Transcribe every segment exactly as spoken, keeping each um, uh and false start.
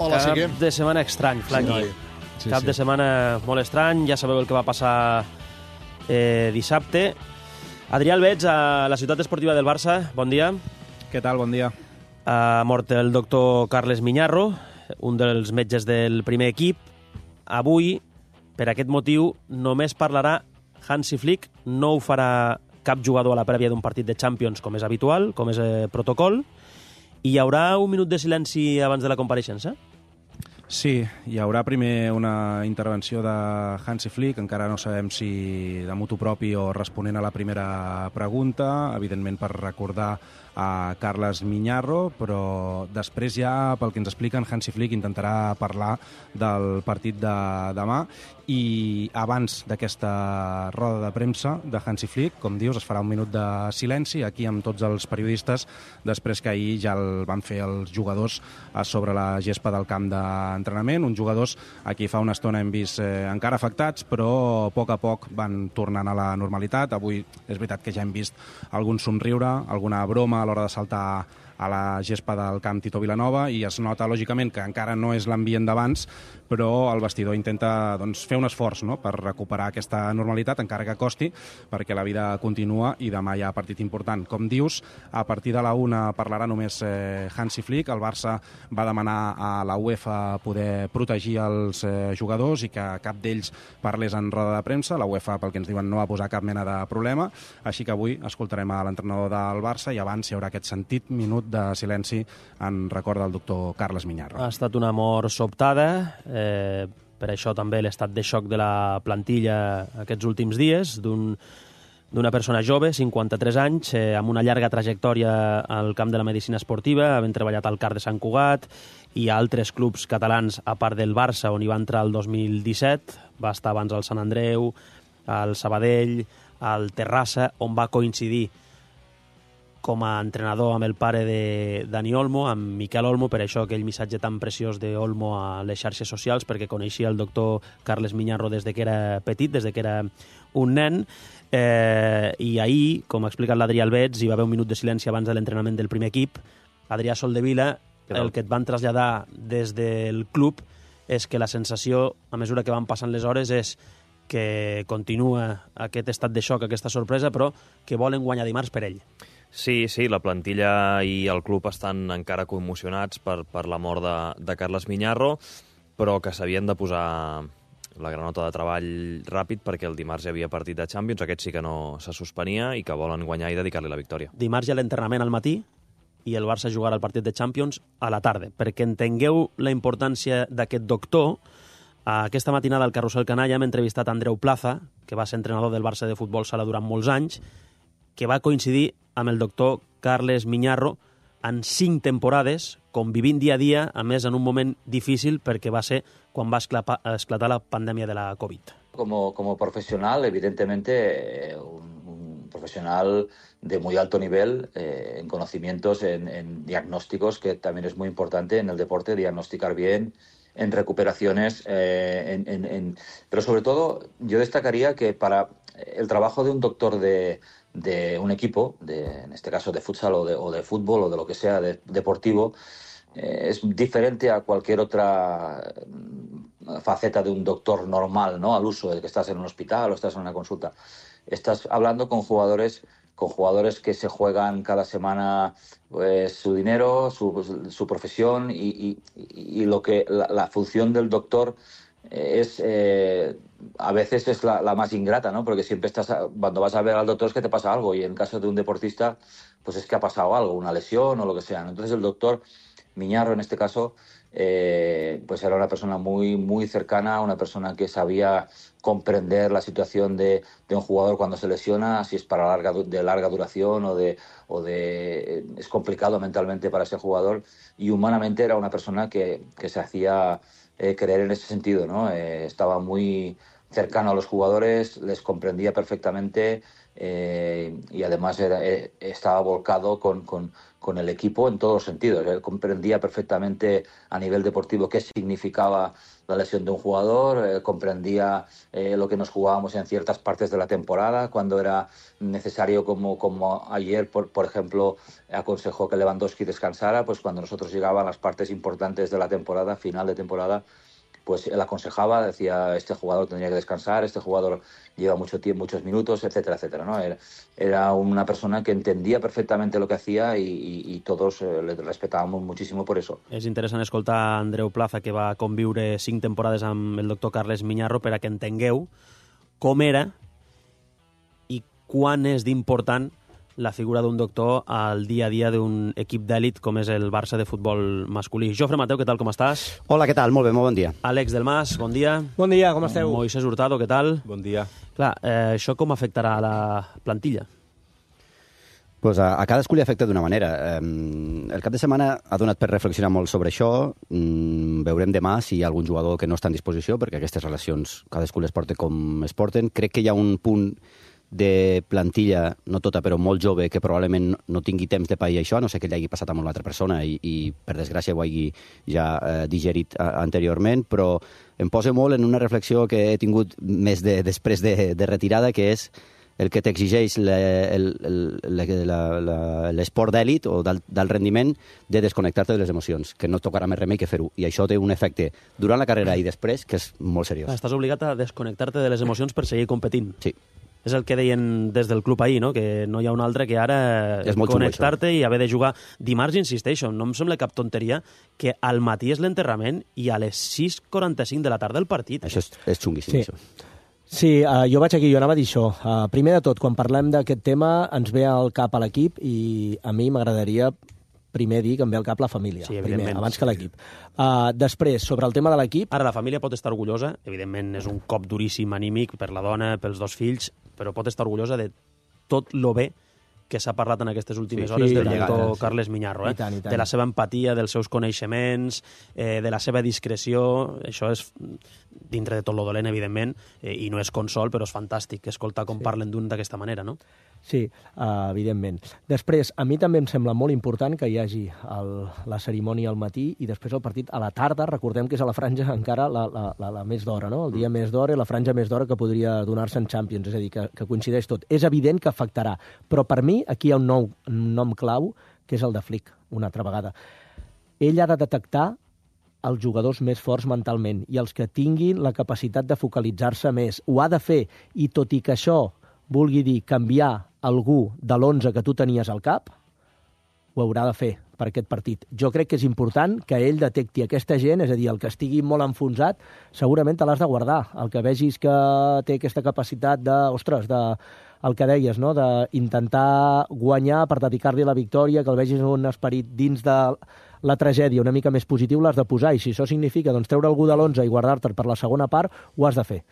Hola, Cap Sique. de setmana estrany, Flaqui. Sí, Cap sí. de setmana molt estrany. Ja sabeu el que va passar eh, dissabte. Adrià Albets, a la ciutat esportiva del Barça. Bon dia. Què tal? Bon dia. Ha mort el doctor Carles Miñarro, un dels metges del primer equip. Avui, per aquest motiu, només parlarà Hansi Flick. No ho farà cap jugador a la prèvia d'un partit de Champions, com és habitual, com és eh, protocol. I hi haurà un minut de silenci abans de la compareixença? Sí, hi haurà primer una intervenció de Hansi Flick, encara no sabem si de motu propi o responent a la primera pregunta, evidentment per recordar a Carles Miñarro, però després ja, pel que ens expliquen, Hansi Flick intentarà parlar del partit de demà i abans d'aquesta roda de premsa de Hansi Flick, com dius, es farà un minut de silenci aquí amb tots els periodistes, després que ahir ja el van fer els jugadors a sobre la gespa del camp d'entrenament, uns jugadors a qui fa una estona hem vist eh, encara afectats, però a poc a poc van tornant a la normalitat. Avui és veritat que ja hem vist algun somriure, alguna broma a l'hora de saltar a la gespa del camp Tito Vilanova i es nota, lògicament, que encara no és l'ambient d'abans, però el vestidor intenta doncs, fer un esforç, no?, per recuperar aquesta normalitat, encara que costi, perquè la vida continua i demà hi ha partit important. Com dius, a partir de la una parlarà només eh, Hansi Flick. El Barça va demanar a la UEFA poder protegir els eh, jugadors i que cap d'ells parlés en roda de premsa. La UEFA, pel que ens diuen, no va posar cap mena de problema, així que avui escoltarem a l'entrenador del Barça i abans hi haurà aquest sentit minut de silenci en record del doctor Carles Miñarro. Ha estat una mort sobtada, eh, per això també l'estat de xoc de la plantilla aquests últims dies, d'un d'una persona jove, cinquanta-tres anys, eh, amb una llarga trajectòria al camp de la medicina esportiva, havent treballat al C A R de Sant Cugat i a altres clubs catalans, a part del Barça, on hi va entrar el dos mil disset, va estar abans al Sant Andreu, al Sabadell, al Terrassa, on va coincidir com a entrenador amb el pare de Dani Olmo, amb Miquel Olmo, per això aquell missatge tan preciós d'Olmo a les xarxes socials, perquè coneixia el doctor Carles Miñarro des de que era petit, des de que era un nen, eh, i ahir, com ha explicat l'Adrià Albets, hi va haver un minut de silenci abans de l'entrenament del primer equip. Adrià Soldevila, el que et van traslladar des del club és que la sensació, a mesura que van passant les hores, és que continua aquest estat de xoc, aquesta sorpresa, però que volen guanyar dimarts per ell. Sí, sí, la plantilla i el club estan encara commocionats per, per la mort de, de Carles Miñarro, però que s'havien de posar la granota de treball ràpid perquè el dimarts hi havia partit de Champions, aquest sí que no se suspenia i que volen guanyar i dedicar-li la victòria. Dimarts hi ha l'entrenament al matí i el Barça jugarà el partit de Champions a la tarda. Perquè entengueu la importància d'aquest doctor, aquesta matinada al Carrusel Canalla hem entrevistat Andreu Plaza, que va ser entrenador del Barça de futbol sala durant molts anys, que va coincidir amb el doctor Carles Miñarro en cinc temporades, convivint dia a dia, a més en un moment difícil perquè va ser quan va esclapar, esclatar la pandèmia de la Covid. Como, como profesional, evidentemente, eh, un, un profesional de muy alto nivel eh, en conocimientos, en, en diagnósticos, que también es muy importante en el deporte, diagnosticar bien, en recuperaciones, eh, en, en, en... pero sobre todo yo destacaría que para el trabajo de un doctor de, de un equipo, de, en este caso de futsal o de, o de fútbol o de lo que sea de, deportivo, eh, es diferente a cualquier otra faceta de un doctor normal, ¿no?, al uso de que estás en un hospital o estás en una consulta. Estás hablando con jugadores con jugadores que se juegan cada semana pues, su dinero, su, su profesión y, y, y lo que la, la función del doctor es eh, a veces es la, la más ingrata, ¿no? Porque siempre estás cuando vas a ver al doctor es que te pasa algo y en caso de un deportista pues es que ha pasado algo, una lesión o lo que sea. Entonces el doctor Miñarro en este caso eh, pues era una persona muy muy cercana, una persona que sabía comprender la situación de, de un jugador cuando se lesiona, si es para larga, de larga duración o de, o de es complicado mentalmente para ese jugador, y humanamente era una persona que, que se hacía eh, querer en ese sentido, ¿no? Eh, estaba muy cercano a los jugadores, les comprendía perfectamente, eh, y además era, eh, estaba volcado con, con, con el equipo en todos los sentidos. Él comprendía perfectamente a nivel deportivo qué significaba la lesión de un jugador, eh, comprendía eh, lo que nos jugábamos en ciertas partes de la temporada, cuando era necesario, como, como ayer, por, por ejemplo, aconsejó que Lewandowski descansara, pues cuando nosotros llegaban las partes importantes de la temporada, final de temporada, pues él aconsejaba, decía, este jugador tendría que descansar, este jugador lleva mucho tiempo, muchos minutos, etcétera, etcétera, ¿no? Era, era una persona que entendía perfectamente lo que hacía y, i, i todos eh, le respetábamos muchísimo por eso. És interessant escoltar Andreu Plaza, que va conviure cinc temporades amb el doctor Carles Miñarro, per a que entengueu com era i quan és d'important la figura d'un doctor al dia a dia d'un equip d'èlit com és el Barça de futbol masculí. Jofre Mateu, què tal, com estàs? Hola, què tal? Molt bé, molt bon dia. Àlex Delmas, bon dia. Bon dia, com esteu? Moisés Hurtado, què tal? Bon dia. Clar, eh, això com afectarà a la plantilla? Pues a, a cadascú li afecta d'una manera. Eh, el cap de setmana ha donat per reflexionar molt sobre això. Mm, veurem demà si hi ha algun jugador que no està en disposició, perquè aquestes relacions cadascú les porta com es porten. Crec que hi ha un punt de plantilla, no tota, però molt jove, que probablement no tingui temps de pair això, a no sé que li hagi passat a una altra persona i, i per desgràcia ho hagi ja eh, digerit a, anteriorment, però em posa molt en una reflexió que he tingut més de, després de, de retirada, que és el que t'exigeix l'esport d'èlit o del, del rendiment, de desconnectar-te de les emocions, que no tocarà més remei que fer-ho. I això té un efecte durant la carrera i després que és molt seriós. Estàs obligat a desconnectar-te de les emocions per seguir competint. Sí. És el que deien des del club ahir, no? Que no hi ha un altre que ara connectar-te i haver de jugar. Dimarts, insisteixo, no em sembla cap tonteria que al matí és l'enterrament i a les sis quaranta-cinc de la tarda el partit. Això és, és xunguíssim, sí. Això. Sí, uh, jo vaig aquí, jo anava a dir això. Uh, primer de tot, quan parlem d'aquest tema, ens ve al cap a l'equip i a mi m'agradaria primer dir que em ve al cap la família, sí, primer, abans que l'equip. Uh, després, sobre el tema de l'equip... Ara, la família pot estar orgullosa, evidentment és un cop duríssim anímic per la dona, pels dos fills, però pot estar orgullosa de tot lo bé que s'ha parlat en aquestes últimes sí, hores sí, del sí, doctor sí. Carles Miñarro, eh? I tant, i tant. De la seva empatia, dels seus coneixements, eh, de la seva discreció. Això és dintre de tot lo dolent, evidentment, eh, i no és consol, però és fantàstic escoltar com sí. parlen d'un d'aquesta manera, no? Sí, uh, evidentment. Després, a mi també em sembla molt important que hi hagi el, la cerimònia al matí i després el partit a la tarda. Recordem que és a la franja encara la, la, la, la més d'hora, no? El dia més d'hora i la franja més d'hora que podria donar-se en Champions, és a dir, que, que coincideix tot. És evident que afectarà, però per mi aquí hi ha un, nou, un nom clau, que és el de Flick, una altra vegada. Ell ha de detectar els jugadors més forts mentalment i els que tinguin la capacitat de focalitzar-se més. Ho ha de fer, i tot i que això vulgui dir canviar algú de l'onze que tu tenies al cap, ho haurà de fer per aquest partit. Jo crec que és important que ell detecti aquesta gent, és a dir, el que estigui molt enfonsat, segurament te l'has de guardar. El que vegis que té aquesta capacitat de, ostres, de, el que deies, no? D'intentar guanyar per dedicar-li la victòria, que el vegis un esperit dins de la tragèdia una mica més positiu, l'has de posar, i si això significa doncs, treure algú de l'onze i guardar-te per la segona part, ho has de fer.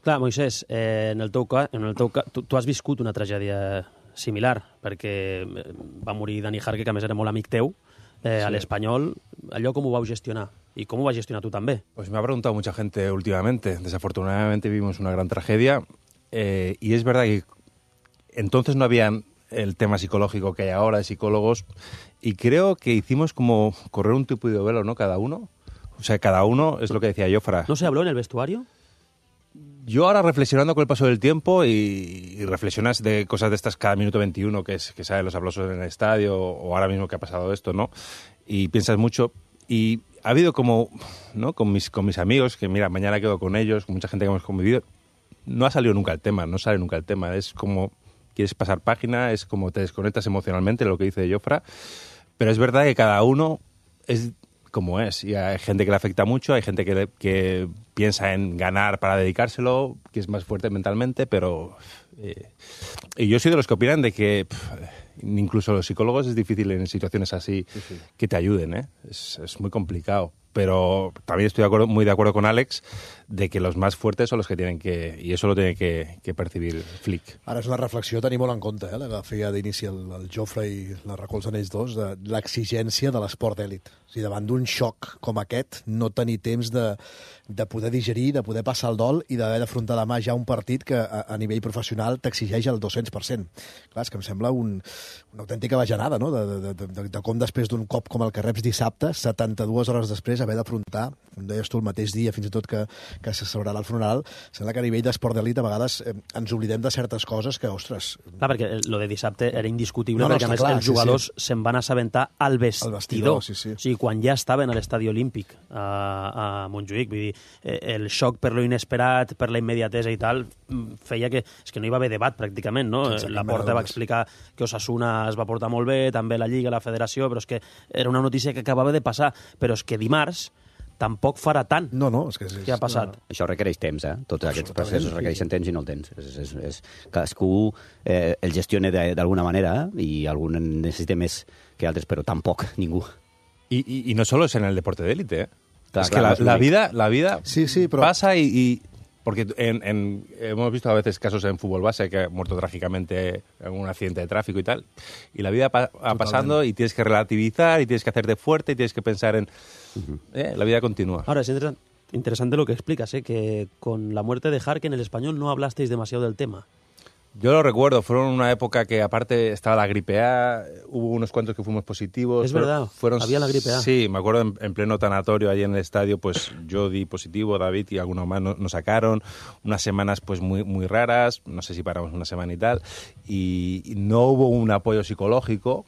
Clar, Moisés, eh, en el teu cas, en el teu cas tu, tu has viscut una tragèdia similar, perquè va morir Dani Jarque, que a més era molt amic teu, eh, sí. a l'Espanyol. Allò com ho vau gestionar? ¿Y cómo va a gestionar tú también? Pues me ha preguntado mucha gente últimamente. Desafortunadamente vivimos una gran tragedia eh, y es verdad que entonces no había el tema psicológico que hay ahora de psicólogos y creo que hicimos como correr un tupido velo, ¿no? Cada uno. O sea, cada uno, es lo que decía Jofra. ¿No se habló en el vestuario? Yo ahora reflexionando con el paso del tiempo y, y reflexionas de cosas de estas cada minuto veintiuno, que, es, que salen los aplausos en el estadio o ahora mismo que ha pasado esto, ¿no? Y piensas mucho y ha habido como, ¿no? Con mis, con mis amigos, que mira, mañana quedo con ellos, con mucha gente que hemos convivido, no ha salido nunca el tema, no sale nunca el tema. Es como quieres pasar página, es como te desconectas emocionalmente, lo que dice Jofra, pero es verdad que cada uno es como es, y hay gente que le afecta mucho, hay gente que, que piensa en ganar para dedicárselo, que es más fuerte mentalmente, pero eh, y yo soy de los que opinan de que pff, incluso los psicólogos es difícil en situaciones así sí, sí. que te ayuden, ¿eh? Es, es muy complicado. pero también estoy de acuerdo, muy de acuerdo con Alex de que los más fuertes son los que tienen que... I això lo tiene que, que percibir Flick. Ara és una reflexió a tenir molt en compte, eh, la que feia d'inici el, el Jofre i la recolzen ells dos, de l'exigència de l'esport d'èlit. O sigui, davant d'un xoc com aquest, no tenir temps de, de poder digerir, de poder passar el dol i d'haver d'afrontar demà ja un partit que a, a nivell professional t'exigeix el dos-cents per cent. Clar, és que em sembla un, una autèntica bajanada, no?, de, de, de, de, de com després d'un cop com el que reps dissabte, setanta-dues hores després, haver d'afrontar, com deies tu, el mateix dia, fins i tot que, que se celebrarà el funeral. Sembla que a nivell d'esport d'elit a vegades eh, ens oblidem de certes coses que, ostres... Clar, perquè lo de dissabte era indiscutible, no, no, perquè a més clar, els jugadors sí, sí. se'n van assabentar al vestidor. Al vestidor, sí, sí. O sigui, quan ja estaven a l'estadi olímpic a, a Montjuïc, vull dir, el xoc per lo inesperat, per la immediatesa i tal, feia que... És que no hi va haver debat, pràcticament, no? La Porta va explicar que Osasuna es va portar molt bé, també la Lliga, la Federació, però és que era una notícia que acabava de passar. Però és que dimarts tampoc farà tant no, no, és que és, que ha passat. No. Això requereix temps, eh? Tots aquests processos requereixen temps i no el tens. És, és, és, cadascú eh, el gestiona d'alguna manera eh? I algun necessita més que altres, però tampoc ningú. Y, y, y no solo es en el deporte de élite, ¿eh? Claro, es claro, que la, la vida, la vida sí, sí, pero... pasa y... y porque en, en, hemos visto a veces casos en fútbol base que ha muerto trágicamente en un accidente de tráfico y tal, y la vida va pa pasando y tienes que relativizar y tienes que hacerte fuerte y tienes que pensar en... Uh-huh. eh, la vida continúa. Ahora, es interesante, interesante lo que explicas, ¿eh? Que con la muerte de Jarque en el español no hablasteis demasiado del tema. Yo lo recuerdo, fueron una época que aparte estaba la gripe A, hubo unos cuantos que fuimos positivos. Es verdad, fueron, había la gripe A. Sí, me acuerdo en, en pleno tanatorio allí en el estadio, pues yo di positivo, David y algunos más nos, nos sacaron, unas semanas pues muy, muy raras, no sé si paramos una semana y tal, y, y no hubo un apoyo psicológico,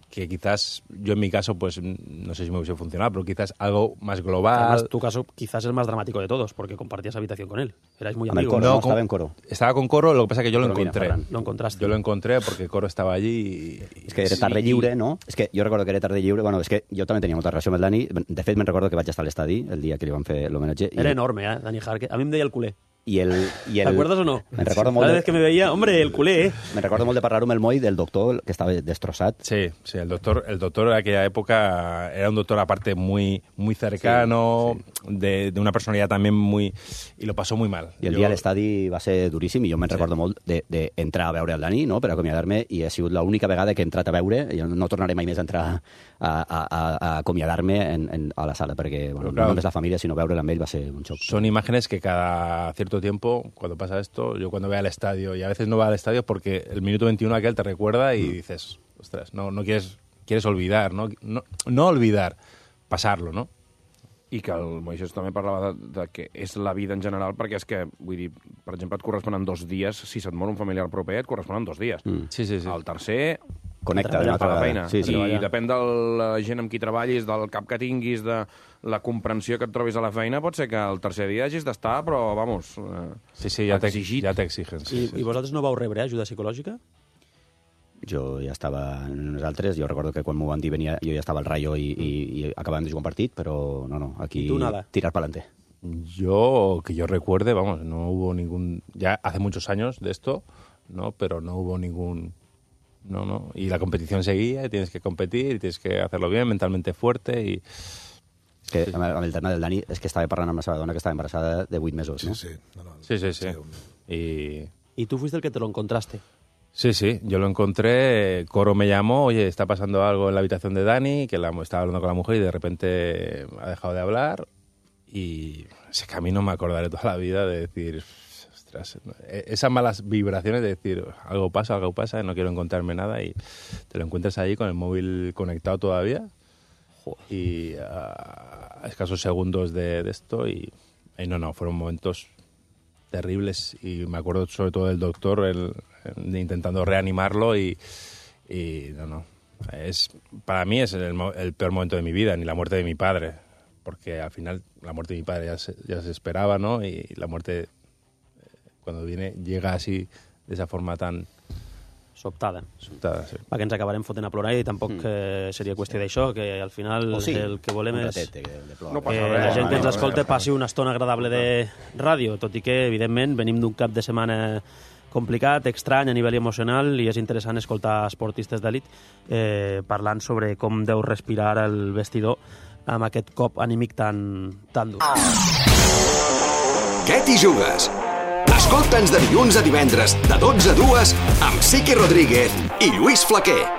que quizás yo en mi caso, pues no sé si me hubiese funcionado, pero quizás algo más global. Además, tu caso quizás es el más dramático de todos, porque compartías habitación con él. Erais muy Amb el amigos. Coro, No, no, con- estava en Coro. Estaba con Coro, lo que pasa es que yo lo Pero mira, encontré. Ferran, Lo encontraste. Yo lo encontré porque Coro estaba allí y... És que era tarda lliure, no? És que jo recordo que era tarda lliure. Bueno, és que jo també tenia molta relació amb el Dani. De fet, me'n recordo que vaig estar a l'estadi el dia que li van fer l'homenatge. Era enorme, ¿eh? Dani Jarque. A mí me deia el culé. I el, i el, ¿Te acuerdas o no? Me'n recordo molt Cada de, vez que me veía, hombre, el culé, ¿eh? me'n recordo molt de parlar amb el Moi del doctor que estava destrossat. Sí, sí, el doctor, el doctor en aquella época era un doctor aparte muy, muy cercano, Sí, De, de una personalidad también muy... Y lo pasó muy mal. I el Yo- dia a l'estadi va ser duríssim i jo me'n Sí. recordo molt d'entrar a veure el Dani, no?, per acomiadar-me, i ha sigut l'única vegada que he entrat a veure, i no tornaré mai més a entrar a, a, a, a acomiadar-me en, en, a la sala, perquè bueno, Però, clar, no només la família, sinó veure'l amb ell va ser un xoc. Son imágenes que cada cierto tiempo, cuando pasa esto, yo cuando voy al estadio, y a veces no voy al estadio porque el minuto veintiuno aquel te recuerda y dices, ostras, no, no quieres, quieres olvidar, ¿no? No, no olvidar, pasarlo, ¿no? I que el Moisés també parlava de, de que és la vida en general, perquè és que, vull dir, per exemple, et corresponen dos dies, si se't mor un familiar proper, et corresponen dos dies. Mm. Sí, sí, sí. El tercer, Connecta Treballar d'una fa altra la vegada. feina. Sí, sí. I depèn de la gent amb qui treballis, del cap que tinguis, de la comprensió que et trobis a la feina, pot ser que el tercer dia hagis d'estar, però, vamos, eh, Sí, sí, ya te, exigit. ya te exigen. Sí, I, sí. I vosaltres no vau rebre ajuda psicològica? Jo ja estava en nosaltres, jo recordo que quan m'ho van dir venia, jo ja estava al Rayo i, i, i acabàvem de jugar un partit, però no, no, aquí I tu nada. tirar pa'lante. Yo, que yo recuerde, vamos, no hubo ningún... Ya hace muchos años de esto, ¿no? Pero no hubo ningún... No, no. Y la competición seguía, y tienes que competir, y tienes que hacerlo bien, mentalmente fuerte, y... És que amb el, amb el tema del Dani és que estava parlant amb la seva dona que estava embarassada de vuit mesos, no? Sí, sí. No, no. Sí, sí, sí. un- Y... Y tú fuiste el que te lo encontraste. Sí, sí, yo lo encontré, Coro me llamó, oye, está pasando algo en la habitación de Dani, que la, estaba hablando con la mujer y de repente ha dejado de hablar, y ese camino me acordaré toda la vida de decir, ostras, esas malas vibraciones de decir, algo pasa, algo pasa, no quiero encontrarme nada, y te lo encuentras ahí con el móvil conectado todavía, y a escasos segundos de, de esto, y, y no, no, fueron momentos terribles, y me acuerdo sobre todo del doctor el, el, intentando reanimarlo, y, y no, no, es, para mí es el, el peor momento de mi vida, ni la muerte de mi padre, porque al final la muerte de mi padre ya se, ya se esperaba, ¿no? Y la muerte, cuando viene, llega así, de esa forma tan Sobtada. sobtada. Sí. Perquè ens acabarem fotent a plorar i tampoc mm. eh, seria qüestió d'això, que al final O sí, el que volem un és ratet de, de plora. No passa que res, la gent que ens no, escolta no, passi una estona agradable de ràdio, tot i que, evidentment, venim d'un cap de setmana complicat, estrany a nivell emocional, i és interessant escoltar esportistes d'elit eh, parlant sobre com deu respirar el vestidor amb aquest cop anímic tan, tan dur. Què t'hi jugues? Escolta'ns de dilluns a divendres, de dotze a dues, amb Sique Rodríguez i Lluís Flaquer.